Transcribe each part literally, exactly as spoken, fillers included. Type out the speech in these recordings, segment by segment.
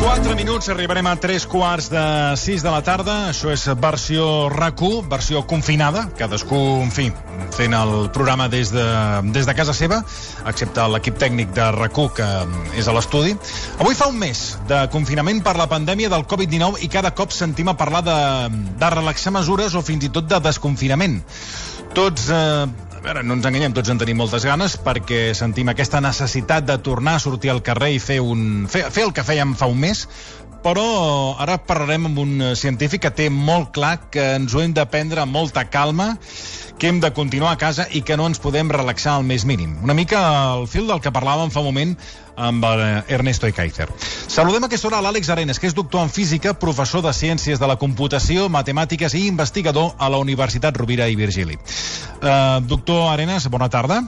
quatre minuts, arribarem a tres quarts de sis de la tarda. Això és versió RAC u, versió confinada. Cadascú, en fi, fent el programa des de, des de casa seva, excepte l'equip tècnic de RAC u, que és a l'estudi. Avui fa un mes de confinament per la pandèmia del covid dinou i cada cop sentim a parlar de, de relaxar mesures o fins i tot de desconfinament. Tots... Eh, A veure, no ens enganyem, tots en tenim moltes ganes perquè sentim aquesta necessitat de tornar a sortir al carrer i fer, un, fer, fer el que fèiem fa un mes, però ara parlarem amb un científic que té molt clar que ens ho hem de prendre amb molta calma, que hem de continuar a casa i que no ens podem relaxar al més mínim. Una mica al fil del que parlàvem fa un moment amb Ernesto Ekaizer. Saludem a aquesta hora l'Àlex Arenas, que és doctor en física, professor de Ciències de la Computació, Matemàtiques i investigador a la Universitat Rovira i Virgili. Uh, doctor Arenas, bona tarda.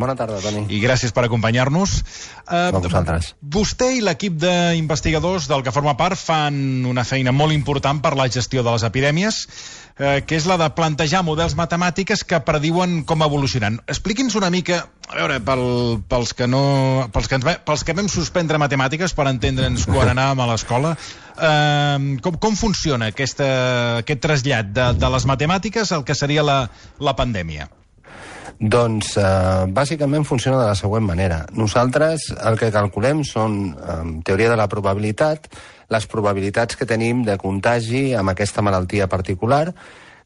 Bona tarda, Toni. I gràcies per acompanyar-nos. Uh, a vosaltres. Vostè i l'equip d'investigadors del que forma part fan una feina molt important per la gestió de les epidèmies, uh, que és la de plantejar models matemàtiques que prediuen com evolucionaran. Expliqui'ns una mica, a veure, pel, pels, que no, pels, que ens, pels que vam suspendre matemàtiques per entendre'ns quan anàvem a l'escola, uh, com, com funciona aquesta, aquest trasllat de, de les matemàtiques al que seria la, la pandèmia? Doncs, eh, bàsicament funciona de la següent manera. Nosaltres el que calculem són, en teoria de la probabilitat, les probabilitats que tenim de contagi amb aquesta malaltia particular,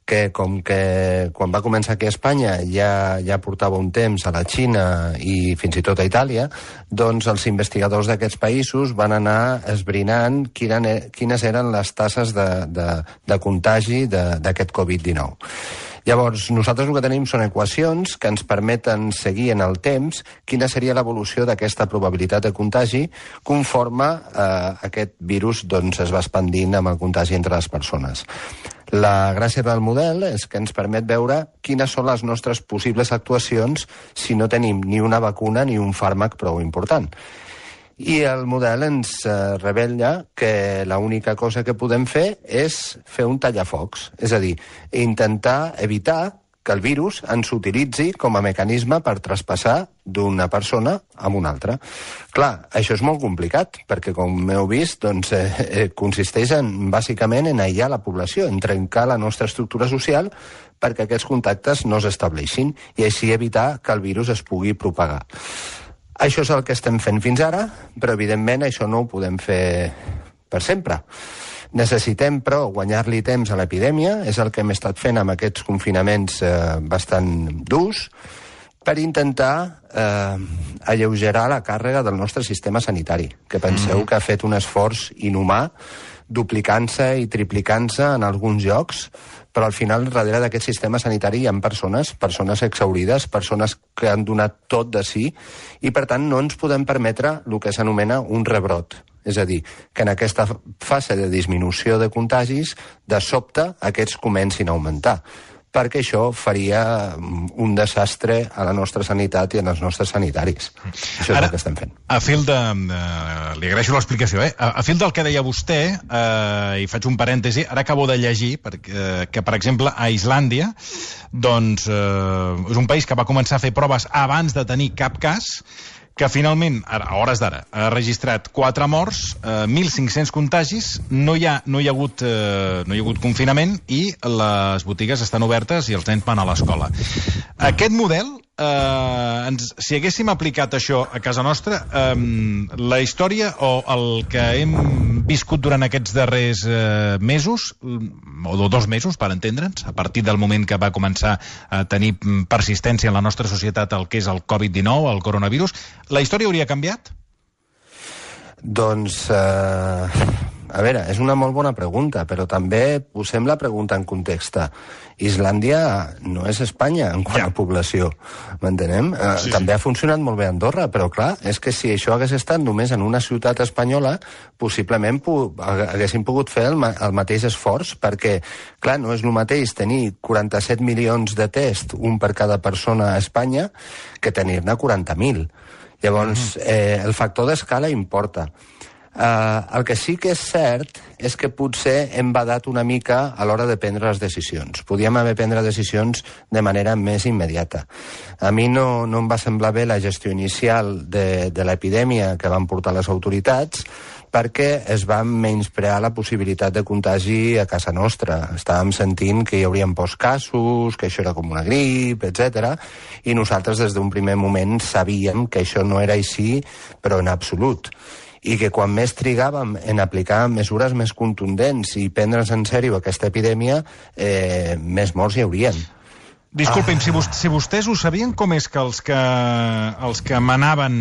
que com que quan va començar aquí a Espanya ja, ja portava un temps a la Xina i fins i tot a Itàlia, doncs els investigadors d'aquests països van anar esbrinant quines, quines eren les tasses de, de, de contagi d'aquest covid dinou. Llavors, nosaltres el que tenim són equacions que ens permeten seguir en el temps quina seria l'evolució d'aquesta probabilitat de contagi conforme eh, aquest virus doncs, es va expandint amb el contagi entre les persones. La gràcia del model és que ens permet veure quines són les nostres possibles actuacions si no tenim ni una vacuna ni un fàrmac prou important. I el model ens eh, revela que l'única cosa que podem fer és fer un tallafocs, és a dir, intentar evitar que el virus ens utilitzi com a mecanisme per traspassar d'una persona a una altra. Clar, això és molt complicat, perquè com heu vist, doncs, eh, eh, consisteix en, bàsicament en aïllar la població, en trencar la nostra estructura social perquè aquests contactes no s'estableixin i així evitar que el virus es pugui propagar. Això és el que estem fent fins ara, però evidentment això no ho podem fer per sempre. Necessitem, però, guanyar-li temps a l'epidèmia, és el que hem estat fent amb aquests confinaments eh, bastant durs, per intentar eh, alleugerar la càrrega del nostre sistema sanitari, que penseu que ha fet un esforç inhumà, duplicant-se i triplicant-se en alguns llocs, però al final, darrere d'aquest sistema sanitari hi ha persones, persones exhaurides, persones que han donat tot de si, i per tant no ens podem permetre el que s'anomena un rebrot. És a dir, que en aquesta fase de disminució de contagis, de sobte, aquests comencin a augmentar, perquè això faria un desastre a la nostra sanitat i als nostres sanitaris. Això és Ara, el que estem fent. A fil de... Uh, li agraeixo l'explicació, eh? A, a fil del que deia vostè, uh, i faig un parèntesi, ara acabo de llegir perquè, uh, que, per exemple, a Islàndia, doncs, uh, és un país que va començar a fer proves abans de tenir cap cas, que finalment, a hores d'ara, ha registrat quatre morts, eh, mil cinc-cents contagis, no hi ha, no hi ha hagut, eh, no hi ha hagut confinament i les botigues estan obertes i els nens van a l'escola. Aquest model, eh, ens, si haguéssim aplicat això a casa nostra, eh, la història o el que hem viscut durant aquests darrers eh, mesos, o dos mesos, per entendre'ns, a partir del moment que va començar a tenir persistència en la nostra societat el que és el covid dinou, el coronavirus, la història hauria canviat? Doncs, eh, a veure, és una molt bona pregunta, però també posem la pregunta en context. Islàndia no és Espanya en quant ja. a població, m'entenem? Sí, eh, sí. També ha funcionat molt bé a Andorra, però clar, és que si això hagués estat només en una ciutat espanyola, possiblement pu haguéssim pogut fer el, ma el mateix esforç, perquè, clar, no és el mateix tenir quaranta-set milions de tests, un per cada persona a Espanya, que tenir-ne quaranta mil. Llavors, eh, el factor d'escala importa. Uh, el que sí que és cert és que potser hem badat una mica a l'hora de prendre les decisions. Podíem haver prendre decisions de manera més immediata. A mi no, no em va semblar bé la gestió inicial de, de l'epidèmia que van portar les autoritats, perquè es va menysprear la possibilitat de contagi a casa nostra. Estàvem sentint que hi haurien pocs casos, que això era com una grip, etcètera, i nosaltres des d'un primer moment sabíem que això no era així, però en absolut. I que quan més trigàvem en aplicar mesures més contundents i prendre's en sèrio aquesta epidèmia, eh, més morts hi haurien. Disculpi'm, ah. si, vos, si vostès ho sabien, com és que els que, els que manaven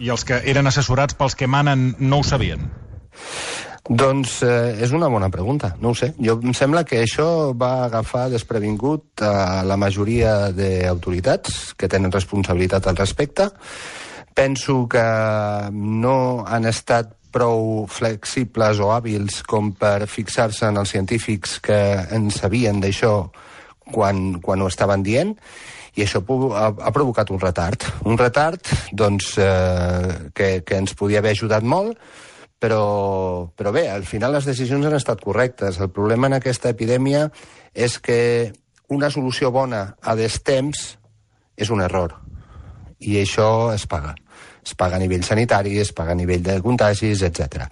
i els que eren assessorats pels que manen no ho sabien? Doncs eh, és una bona pregunta, no ho sé. Jo em sembla que això va agafar desprevingut a la majoria d'autoritats que tenen responsabilitat al respecte. Penso que no han estat prou flexibles o hàbils com per fixar-se en els científics que en sabien d'això quan, quan ho estaven dient, i això ha, ha provocat un retard. Un retard doncs, eh, que, que ens podia haver ajudat molt, però, però bé, al final les decisions han estat correctes. El problema en aquesta epidèmia és que una solució bona a destemps és un error, i això es paga. Es paga a nivell sanitari, es paga a nivell de contagis, etcètera.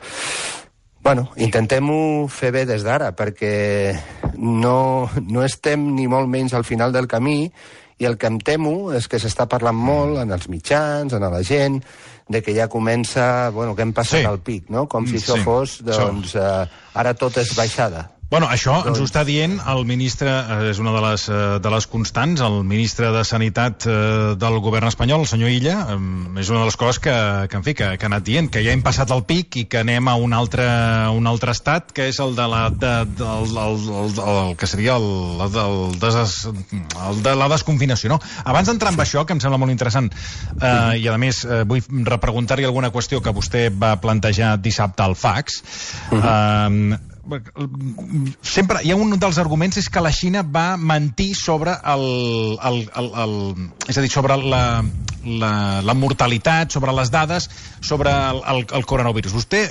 Bueno, intentem-ho fer bé des d'ara, perquè no, no estem ni molt menys al final del camí, i el que em temo és que s'està parlant molt en els mitjans, en la gent, de que ja comença, bueno, que hem passat sí. al pic, no? Com si això sí. fos, doncs, eh, ara tot és baixada. Bueno, això doncs... ens ho està dient el ministre, és una de les, de les constants, el ministre de Sanitat del govern espanyol, el senyor Illa, és una de les coses que, que en fi, que, que ha anat dient, que ja hem passat el pic i que anem a un altre, un altre estat, que és el de la, de, de, el, el, el, el que seria el, el, des, el de la desconfinació, no? Abans d'entrar en això, que em sembla molt interessant, eh, i a més eh, vull repreguntar-hi alguna qüestió que vostè va plantejar dissabte al fax, eh, sempre hi ha un dels arguments és que la Xina va mentir sobre el, el, el, el és a dir, sobre la, la, la mortalitat, sobre les dades, sobre el, el, el coronavirus. Vostè,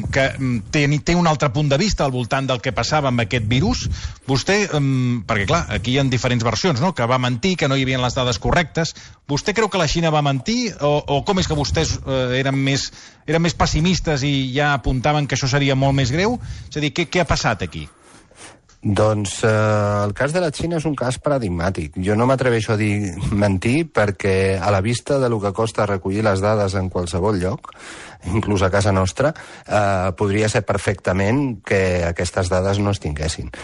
que té, té un altre punt de vista al voltant del que passava amb aquest virus, vostè, perquè clar, aquí hi ha diferents versions, no? Que va mentir, que no hi havia les dades correctes. Vostè creu que la Xina va mentir o, o com és que vostès eh, eren, més, eren més pessimistes i ja apuntaven que això seria molt més greu? És a dir, què, què ha passat aquí? Doncs eh, el cas de la Xina és un cas paradigmàtic. Jo no m'atreveixo a dir mentir perquè a la vista de lo que costa recollir les dades en qualsevol lloc, inclús a casa nostra, eh, podria ser perfectament que aquestes dades no es tinguessin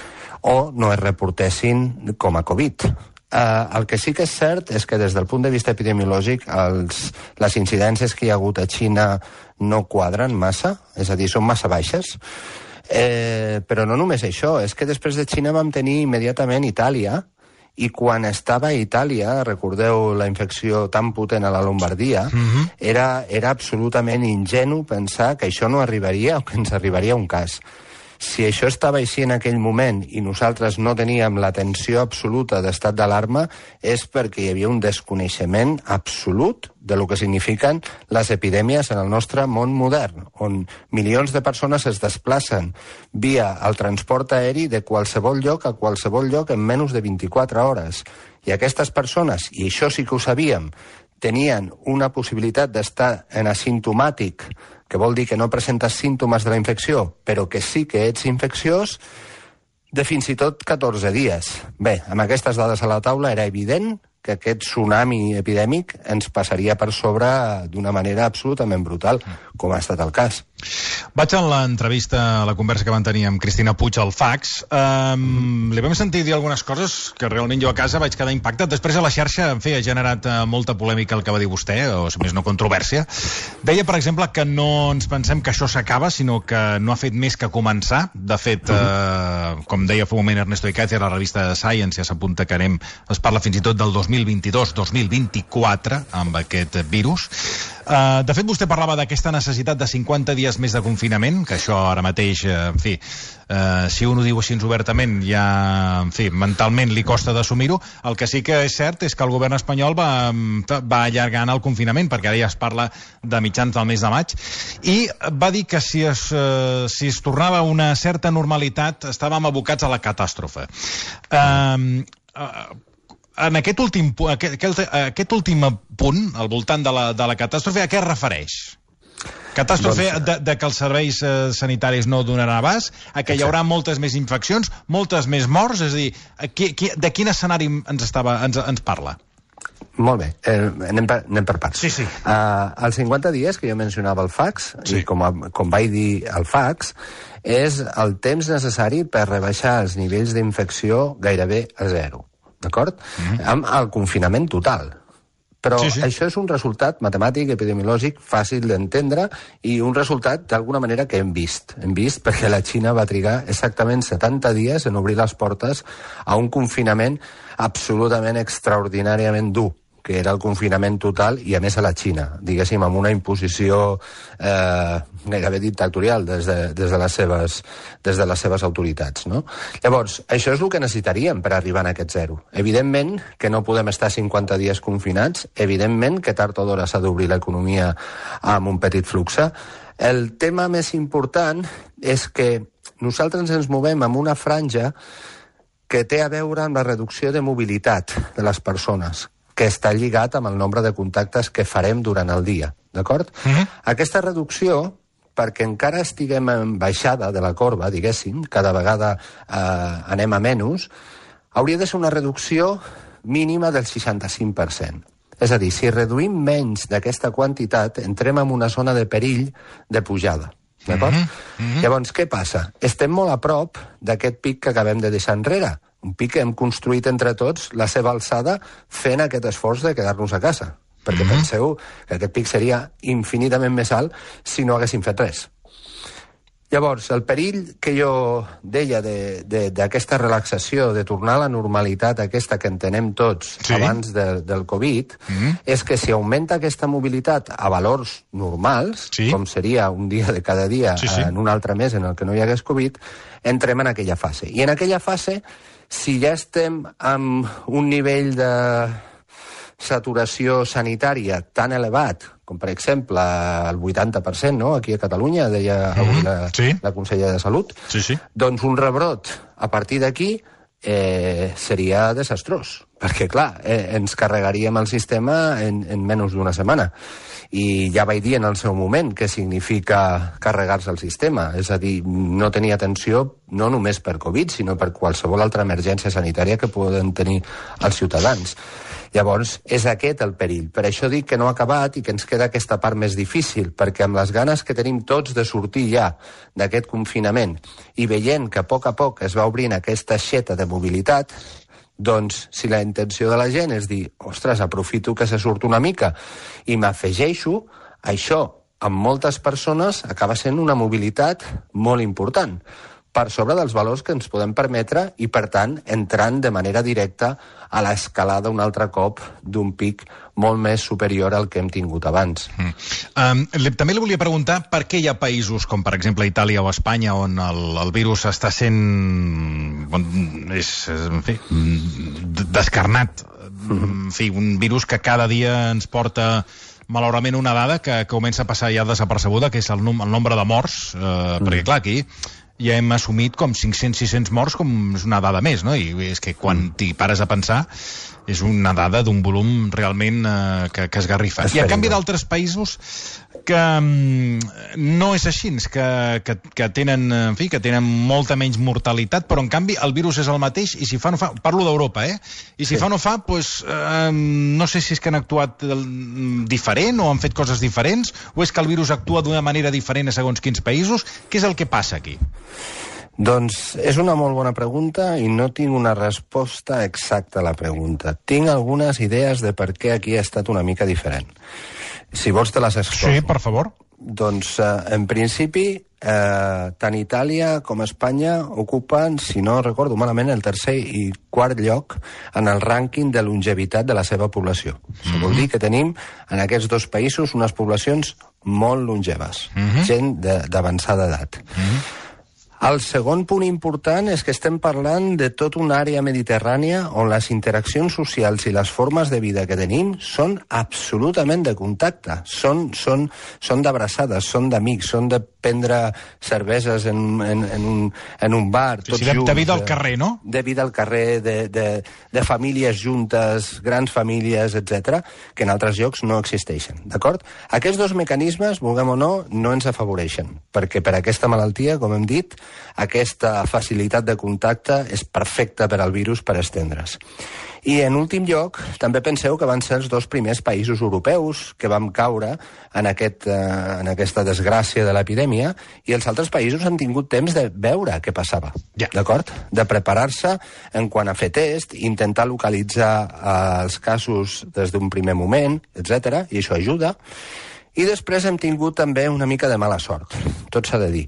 o no es reportessin com a Covid. Uh, el que sí que és cert és que des del punt de vista epidemiològic els, les incidències que hi ha hagut a Xina no quadren massa, és a dir, són massa baixes. Eh, però no només això, és que després de Xina vam tenir immediatament Itàlia, i quan estava a Itàlia, recordeu la infecció tan potent a la Lombardia, uh-huh. era, era absolutament ingenu pensar que això no arribaria o que ens arribaria un cas. Si això estava així en aquell moment i nosaltres no teníem l'atenció absoluta d'estat d'alarma, és perquè hi havia un desconeixement absolut de lo que signifiquen les epidèmies en el nostre món modern, on milions de persones es desplacen via el transport aeri de qualsevol lloc a qualsevol lloc en menys de vint-i-quatre hores. I aquestes persones, i això sí que ho sabíem, tenien una possibilitat d'estar en asimptomàtic, que vol dir que no presentes símptomes de la infecció, però que sí que ets infecciós, de fins i tot catorze dies. Bé, amb aquestes dades a la taula era evident que aquest tsunami epidèmic ens passaria per sobre d'una manera absolutament brutal, com ha estat el cas. Vaig a l'entrevista, a la conversa que van tenir amb Cristina Puig al fax. Um, li vam sentir dir algunes coses que realment jo a casa vaig quedar impactat. Després a la xarxa, en fi, ha generat uh, molta polèmica el que va dir vostè, o si més no controvèrsia. Deia, per exemple, que no ens pensem que això s'acaba, sinó que no ha fet més que començar. De fet, uh, com deia fa un moment Ernesto Icaizer, a la revista Science ja s'apunta que anem, es parla fins i tot del dos mil vint-i-dos dos mil vint-i-quatre amb aquest virus. Uh, de fet, vostè parlava d'aquesta necessitat de cinquanta dies més de confinament, que això ara mateix, uh, en fi, uh, si un ho diu així obertament, ja, en fi, mentalment li costa d'assumir-ho. El que sí que és cert és que el govern espanyol va, va allargant el confinament, perquè ara ja es parla de mitjans del mes de maig, i va dir que si es, uh, si es tornava a una certa normalitat estàvem abocats a la catàstrofe. Uh, uh, En aquest últim, aquest, aquest últim punt, al voltant de la, de la catàstrofe, a què es refereix? Catàstrofe doncs, de, de que els serveis eh, sanitaris no donaran abast, a que hi haurà moltes més infeccions, moltes més morts, és a dir, qui, qui, de quin escenari ens, estava, ens, ens parla? Molt bé, eh, anem, per, anem per parts. Sí, sí. Uh, els cinquanta dies que jo mencionava el fax, sí. I com, a, com vaig dir el fax, és el temps necessari per rebaixar els nivells d'infecció gairebé a zero. D'acord? Mm-hmm. Amb el confinament total. Però sí, sí. Això és un resultat matemàtic, epidemiològic, fàcil d'entendre i un resultat, d'alguna manera, que hem vist. Hem vist perquè la Xina va trigar exactament setanta dies en obrir les portes a un confinament absolutament extraordinàriament dur, que era el confinament total, i a més a la Xina, diguéssim, amb una imposició eh, gairebé dictatorial des de, des, de les seves, des de les seves autoritats, no? Llavors, això és el que necessitaríem per arribar a aquest zero. Evidentment que no podem estar cinquanta dies confinats, evidentment que tard o d'hora s'ha d'obrir l'economia amb un petit flux. El tema més important és que nosaltres ens movem en una franja que té a veure amb la reducció de mobilitat de les persones, que està lligat amb el nombre de contactes que farem durant el dia, d'acord? Uh-huh. Aquesta reducció, perquè encara estiguem en baixada de la corba, diguéssim, cada vegada eh, anem a menys, hauria de ser una reducció mínima del seixanta-cinc per cent. És a dir, si reduïm menys d'aquesta quantitat, entrem en una zona de perill de pujada, d'acord? Uh-huh. Uh-huh. Llavors, què passa? Estem molt a prop d'aquest pic que acabem de deixar enrere, un pic que hem construït entre tots la seva alçada fent aquest esforç de quedar-nos a casa. Perquè mm-hmm. penseu que aquest pic seria infinitament més alt si no haguéssim fet res. Llavors, el perill que jo deia d'aquesta relaxació, de tornar a la normalitat aquesta que entenem tots sí. abans de, del Covid, mm-hmm. és que si augmenta aquesta mobilitat a valors normals, sí. com seria un dia de cada dia sí, sí. en un altre mes en el que no hi hagués Covid, entrem en aquella fase. I en aquella fase, si ja estem amb un nivell de saturació sanitària tan elevat, com per exemple el vuitanta per cent, no? Aquí a Catalunya, deia mm-hmm. avui la, sí. la consellera de Salut, sí, sí. doncs un rebrot a partir d'aquí eh, seria desastrós, perquè clar, eh, ens carregaríem el sistema en, en menys d'una setmana. I ja vaig dir en el seu moment què significa carregar-se el sistema, és a dir, no tenir atenció no només per Covid, sinó per qualsevol altra emergència sanitària que poden tenir els ciutadans. Llavors, és aquest el perill. Per això dic que no ha acabat i que ens queda aquesta part més difícil, perquè amb les ganes que tenim tots de sortir ja d'aquest confinament i veient que a poc a poc es va obrint aquesta aixeta de mobilitat, doncs, si la intenció de la gent és dir, ostres, aprofito que se surt una mica i m'afegeixo, això, amb moltes persones, acaba sent una mobilitat molt important, per sobre dels valors que ens podem permetre i, per tant, entrant de manera directa a l'escalada un altre cop d'un pic molt més superior al que hem tingut abans. Mm. Um, també li volia preguntar per què hi ha països com, per exemple, Itàlia o Espanya, on el, el virus està sent on és, en fi, descarnat. Mm. En fi, un virus que cada dia ens porta malauradament una dada que, que comença a passar ja desapercebuda, que és el, num el nombre de morts, eh, mm. perquè clar, aquí ja hem assumit com cinc-cents sis-cents morts com és una dada més, no? I és que quan t'hi pares a pensar és una dada d'un volum realment eh, que, que esgarrifa. I en canvi d'altres països que mm, no és així, que, que, que tenen, en fi, que tenen molta menys mortalitat, però en canvi el virus és el mateix i si fa no fa, parlo d'Europa, eh? I si sí. fa no fa, doncs eh, no sé si és que han actuat diferent o han fet coses diferents, o és que el virus actua d'una manera diferent a segons quins països. Què és el que passa aquí? Doncs és una molt bona pregunta i no tinc una resposta exacta a la pregunta. Tinc algunes idees de per què aquí ha estat una mica diferent. Si vols te les exposo. Sí, per favor. Doncs, eh, en principi, eh, tant Itàlia com Espanya ocupen, si no recordo malament, el tercer i quart lloc en el rànquing de longevitat de la seva població. Mm-hmm. Això vol dir que tenim en aquests dos països unes poblacions molt longeves, mm-hmm. gent d'avançada edat. Mm-hmm. El segon punt important és que estem parlant de tota una àrea mediterrània on les interaccions socials i les formes de vida que tenim són absolutament de contacte, són, són, són d'abraçades, són d'amics, són de prendre cerveses en, en, en, un, en un bar, tots sí, sí, junts. De vida al carrer, no? De vida al carrer, de, de, de famílies juntes, grans famílies, etcètera, que en altres llocs no existeixen, d'acord? Aquests dos mecanismes, vulguem o no, no ens afavoreixen, perquè per aquesta malaltia, com hem dit, aquesta facilitat de contacte és perfecta per al virus per estendre's. I en últim lloc, també penseu que van ser els dos primers països europeus que vam caure en, aquest, eh, en aquesta desgràcia de l'epidèmia, i els altres països han tingut temps de veure què passava, yeah. d'acord? De preparar-se en quant a fer test, intentar localitzar eh, els casos des d'un primer moment, etcètera, i això ajuda. I després hem tingut també una mica de mala sort, tot s'ha de dir,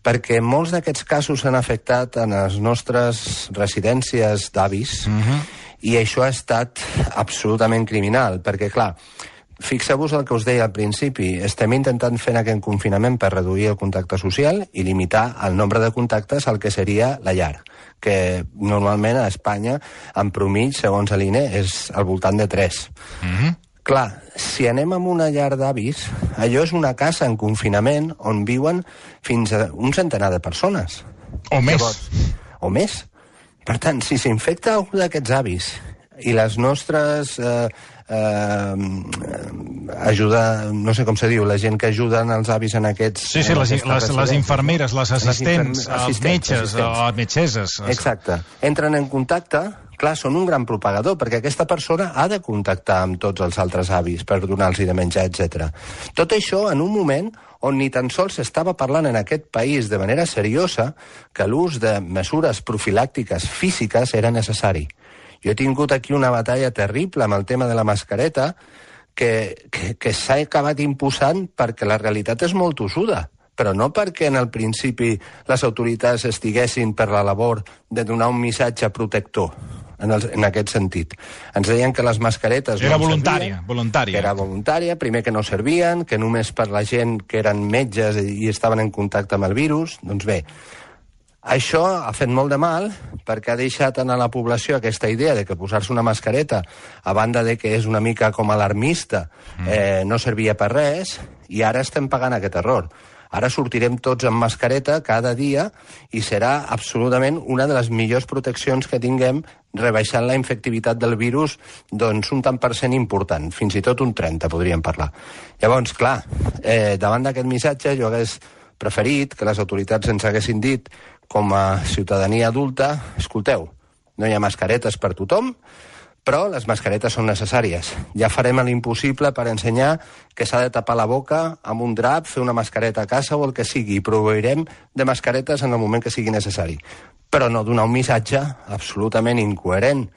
perquè molts d'aquests casos s'han afectat en les nostres residències d'avis, mm-hmm. i això ha estat absolutament criminal, perquè, clar, fixeu-vos el que us deia al principi, estem intentant fer aquest confinament per reduir el contacte social i limitar el nombre de contactes al que seria la llar, que normalment a Espanya, en promig, segons l'I N E, és al voltant de tres. Mm-hmm. Clar, si anem a una llar d'avis, allò és una casa en confinament on viuen fins a un centenar de persones. O més. Llavors, o més. Per tant, si s'infecta algú d'aquests avis i les nostres eh, eh, ajuda, no sé com se diu, la gent que ajuden els avis en aquests... Sí, sí, les, les, les infermeres, les assistents, les els metges, les metgesses... Exacte. Entren en contacte... Clar, són un gran propagador, perquè aquesta persona ha de contactar amb tots els altres avis per donar-los de menjar, etcètera. Tot això en un moment on ni tan sols s'estava parlant en aquest país de manera seriosa que l'ús de mesures profilàctiques físiques era necessari. Jo he tingut aquí una batalla terrible amb el tema de la mascareta que, que, que s'ha acabat imposant perquè la realitat és molt tossuda, però no perquè en el principi les autoritats estiguessin per la labor de donar un missatge protector. En, el, en aquest sentit. Ens deien que les mascaretes... Era no voluntària, servien, voluntària. Que era voluntària, primer que no servien, que només per la gent que eren metges i estaven en contacte amb el virus. Doncs bé, això ha fet molt de mal perquè ha deixat a la població aquesta idea de que posar-se una mascareta, a banda de que és una mica com alarmista, eh, no servia per res, i ara estem pagant aquest error. Ara sortirem tots amb mascareta cada dia i serà absolutament una de les millors proteccions que tinguem, rebaixant la infectivitat del virus doncs un tant per cent important, fins i tot un trenta podríem parlar. Llavors, clar, eh, davant d'aquest missatge jo hagués preferit que les autoritats ens haguessin dit com a ciutadania adulta, escolteu, no hi ha mascaretes per tothom, però les mascaretes són necessàries. Ja farem l'impossible per ensenyar que s'ha de tapar la boca amb un drap, fer una mascareta a casa o el que sigui, i proveirem de mascaretes en el moment que sigui necessari. Però no donar un missatge absolutament incoherent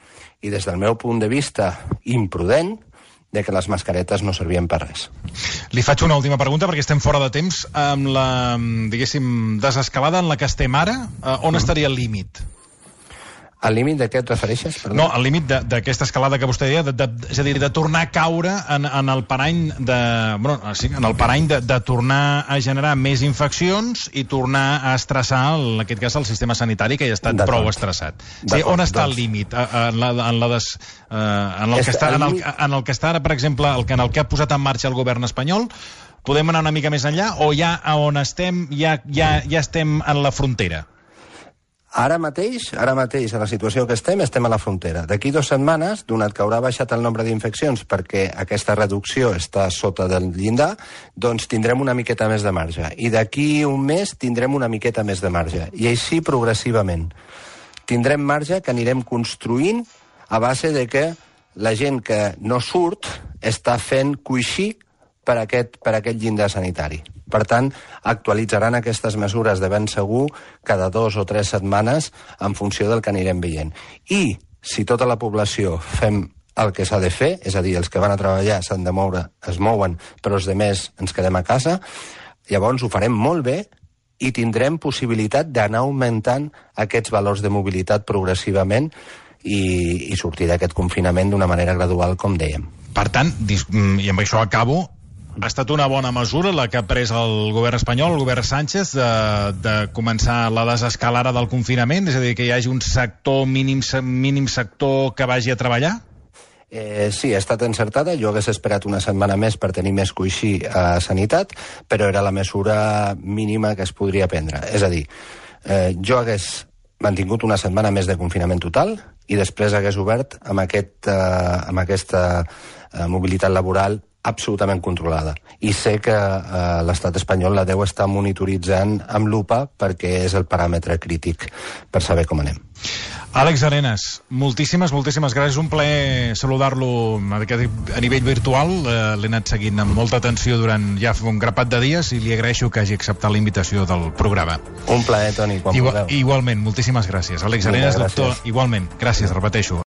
i, des del meu punt de vista, imprudent, de que les mascaretes no servien per res. Li faig una última pregunta, perquè estem fora de temps. Amb la, diguéssim, desescalada en la que estem ara, on mm. estaria el límit? Al límit de què et refereixes? Perdó? No, al límit d'aquesta escalada que vostè deia, de, de, és a dir, de tornar a caure en, en el parany de, bueno, sí, en el parany de, de tornar a generar més infeccions i tornar a estressar, en aquest cas, el sistema sanitari, que ja ha estat prou estressat. Sí, on està doncs... el límit? En, la, en, la des, uh, en, el que està, en, el, en el que està ara, per exemple, el, en el que ha posat en marxa el govern espanyol, podem anar una mica més enllà, o ja on estem, ja, ja, ja estem en la frontera? Ara mateix, ara mateix, a la situació que estem, estem a la frontera. D'aquí dues setmanes, donat que haurà baixat el nombre d'infeccions perquè aquesta reducció està sota del llindar, doncs tindrem una miqueta més de marge. I d'aquí un mes tindrem una miqueta més de marge. I així progressivament. Tindrem marge que anirem construint a base de que la gent que no surt està fent coixí per aquest, per aquest llindar sanitari. Per tant, actualitzaran aquestes mesures de ben segur cada dos o tres setmanes en funció del que anirem veient. I si tota la població fem el que s'ha de fer, és a dir, els que van a treballar s'han de moure, es mouen, però els demés ens quedem a casa. Llavors ho farem molt bé i tindrem possibilitat d'anar augmentant aquests valors de mobilitat progressivament i, i sortir d'aquest confinament d'una manera gradual, com dèiem. Per tant, i amb això acabo, ha estat una bona mesura la que ha pres el govern espanyol, el govern Sánchez, de, de començar la desescalada del confinament, és a dir, que hi hagi un sector mínim, mínim sector que vagi a treballar? Eh, sí, ha estat encertada. Jo hagués esperat una setmana més per tenir més coixí a Sanitat, però era la mesura mínima que es podria prendre. És a dir, eh, jo hagués mantingut una setmana més de confinament total i després hagués obert amb, aquest, eh, amb aquesta eh, mobilitat laboral absolutament controlada. I sé que eh, l'estat espanyol la deu estar monitoritzant amb lupa perquè és el paràmetre crític per saber com anem. Àlex Arenas, moltíssimes, moltíssimes gràcies. Un plaer saludar-lo a nivell virtual. Eh, L'he anat seguint amb molta atenció durant ja un grapat de dies i li agraeixo que hagi acceptat la invitació del programa. Un plaer, Toni, quan Igual, vulgueu. Igualment, moltíssimes gràcies. Àlex Arenas, doctor, igualment. Gràcies, repeteixo.